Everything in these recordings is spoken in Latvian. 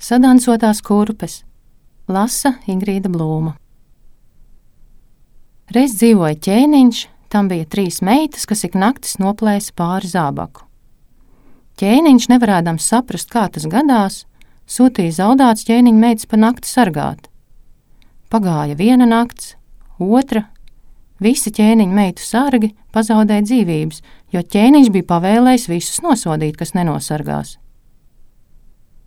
Sadansotās kurpes. Lasa Ingrīda Blūma. Reiz dzīvoja ķēniņš, tam bija 3 meitas, kas ik naktis noplēsa pāri zābaku. Ķēniņš, nevarēdams saprast, kā tas gadās, sūtīja zaudāts ķēniņa meitas pa nakti sargāt. Pagāja 1 nakts, 2, visi ķēniņa meitu sargi pazaudēja dzīvības, jo ķēniņš bija pavēlējis visus nosodīt, kas nenosargās.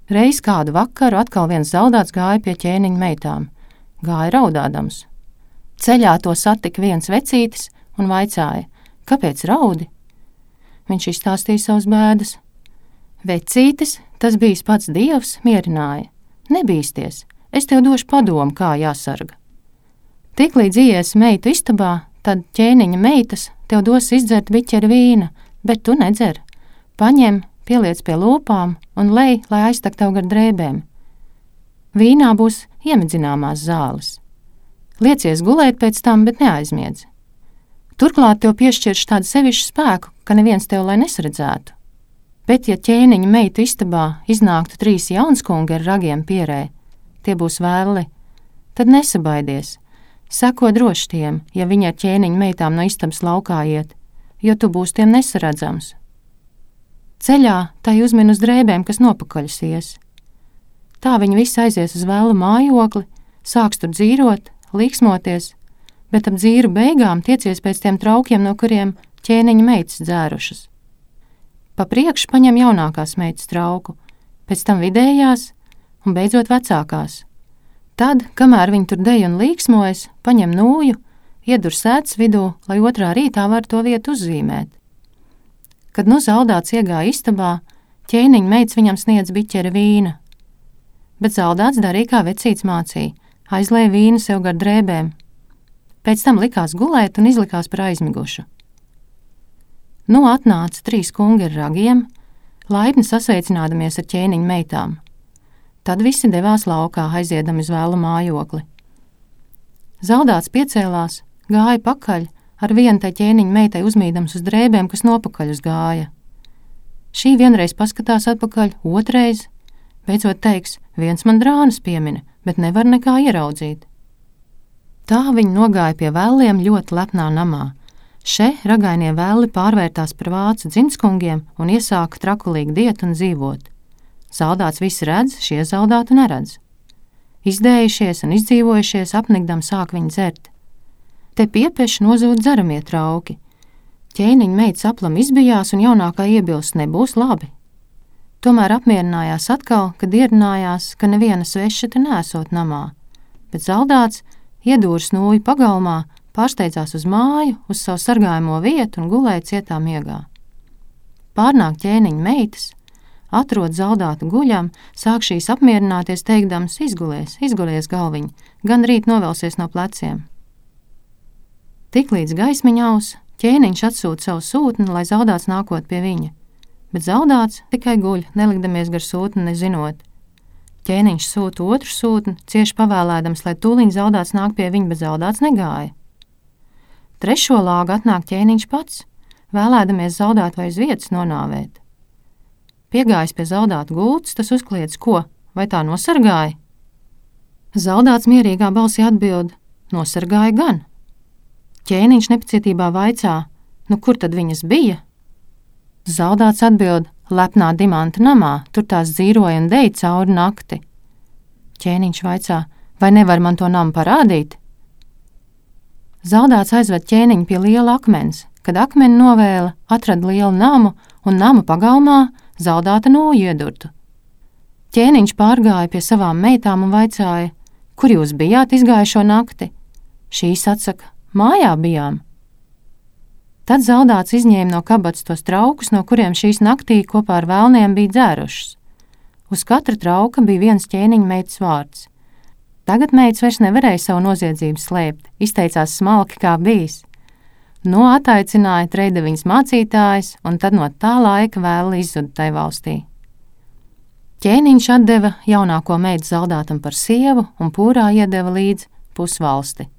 Reiz kādu vakaru atkal viens zaudāts gāja pie ķēniņa meitām, gāja raudādams. Ceļā to satika viens vecītis un vaicāja, kāpēc raudi? Viņš izstāstīja savas bēdas. Vecītis, tas bijis pats Dievs, mierināja. Nebīsties, es tev došu padomu, kā jāsarga. Tiklīdz ies meitu istabā, tad ķēniņa meitas tev dos izdzert biķeri vīna, bet tu nedzer. Paņem, pieliec pie lūpām un lej, lai aiztak tev gar drēbēm. Vīnā būs iemidzināmās zāles. Liecies gulēt pēc tam, bet neaizmiedz. Turklāt tev piešķirš tādu sevišķu spēku, ka neviens tev lai nesaredzētu. Bet, ja ķēniņa meitu istabā iznāktu 3 jaunskungi ar ragiem pierē, tie būs vēli, tad nesabaidies. Seko droši tiem, ja viņi ar ķēniņa meitām no istabas laukā iet, jo tu būs tiem nesaredzams. Ceļā tai uzmin uz drēbēm, kas nopakaļas ies. Tā viņi visi aizies uz vēlu mājokli, sāks tur dzīrot, līksmoties, bet ap dzīru beigām tiecies pēc tiem traukiem, no kuriem ķēniņa meitas dzērušas. Pa priekšu paņem jaunākās meitas trauku, pēc tam vidējās un beidzot vecākās. Tad, kamēr viņi tur dej un līksmojas, paņem nūju, iedur sētas vidū, lai otrā rītā var to vietu uzzīmēt. Kad nu zaudāts iegāja istabā, ķēniņa meitas viņam sniedz biķeri vīna. Bet zaudāts darīja, kā vecīts mācīja, aizlēja vīnu sev gar drēbēm. Pēc tam likās gulēt un izlikās par aizmigušu. Nu atnāca 3 kungi ar ragiem, laipni sasveicinādamies ar ķēniņa meitām. Tad visi devās laukā, aiziedami uz vēlu mājokli. Zaudāts piecēlās, gāja pakaļ, ar vienu tai ķēniņa meitai uzmīdams uz drēbēm, kas nopakaļ uz gāja. Šī vienreiz paskatās atpakaļ, otrais, beidzot teiks, viens man drānas piemina, bet nevar nekā ieraudzīt. Tā viņi nogāja pie vēliem ļoti lepnā namā. Še ragainie vēli pārvērtās par vācu dzimtskungiem un iesāka trakulīgi diet un dzīvot. Zaudāts visi redz, šie zaudātu neredz. Izdējušies un izdzīvojušies apnikdam sāk viņi dzert. Te piepeši nozūd dzeramie trauki. Ķēniņa meitas aplam izbijās un jaunākā iebilst nebūs labi. Tomēr apmierinājās atkal, kad ierinājās, ka neviena sveša te nesot namā, bet zaudāts iedūrs nūju pagalmā, pārsteidzās uz māju, uz savu sargājamo vietu un gulēja cietā miegā. Pārnāk ķēniņa meitas, atrod zaudātu guļam, sāk šīs apmierināties teikdams izgulies galviņ, gan rīt novelsies no pleciem. Tiklīdz gaismiņa aus, ķēniņš atsūta savu sūtni, lai zaudāts nākot pie viņa, bet zaudāts tikai guļ, nelikdamies gar sūtni nezinot. Ķēniņš sūta otru sūtni, cieši pavēlēdams, lai tūliņ zaudāts nāk pie viņa, bet zaudāts negāja. 3. lāgu atnāk ķēniņš pats, vēlēdamies zaudāt vai uz vietas nonāvēt. Piegājis pie zaudāta gultas, tas uzkliedz, ko, vai tā nosargāja? Zaudāts mierīgā balsī atbild, nosargāja gan. Ķēniņš nepacietībā vaicā, nu kur tad viņas bija? Zaudāts atbild, lepnā dimanta namā, tur tās dzīroja un deja cauri nakti. Ķēniņš vaicā, vai nevar man to namu parādīt? Zaudāts aizved ķēniņu pie liela akmens, kad akmeni novēla, atrada lielu namu un nama pagalmā zaudāta nūju iedurtu. Ķēniņš pārgāja pie savām meitām un vaicāja, kur jūs bijāt izgājušo nakti? Šīs atsaka, mājā bijām. Tad zaudāts izņēma no kabatas tos traukus, no kuriem šīs naktī kopā ar vēlniem bija dzērušas. Uz katra trauka bija viens ķēniņa meitas vārds. Tagad meitas vairs nevarēja savu noziedzību slēpt, izteicās smalki kā bijis. No ataicināja Treideviņas mācītājs, un tad no tā laika vēl izzuda tai valstī. Ķēniņš atdeva jaunāko meitu zaudātam par sievu un pūrā iedeva līdz pusvalsti.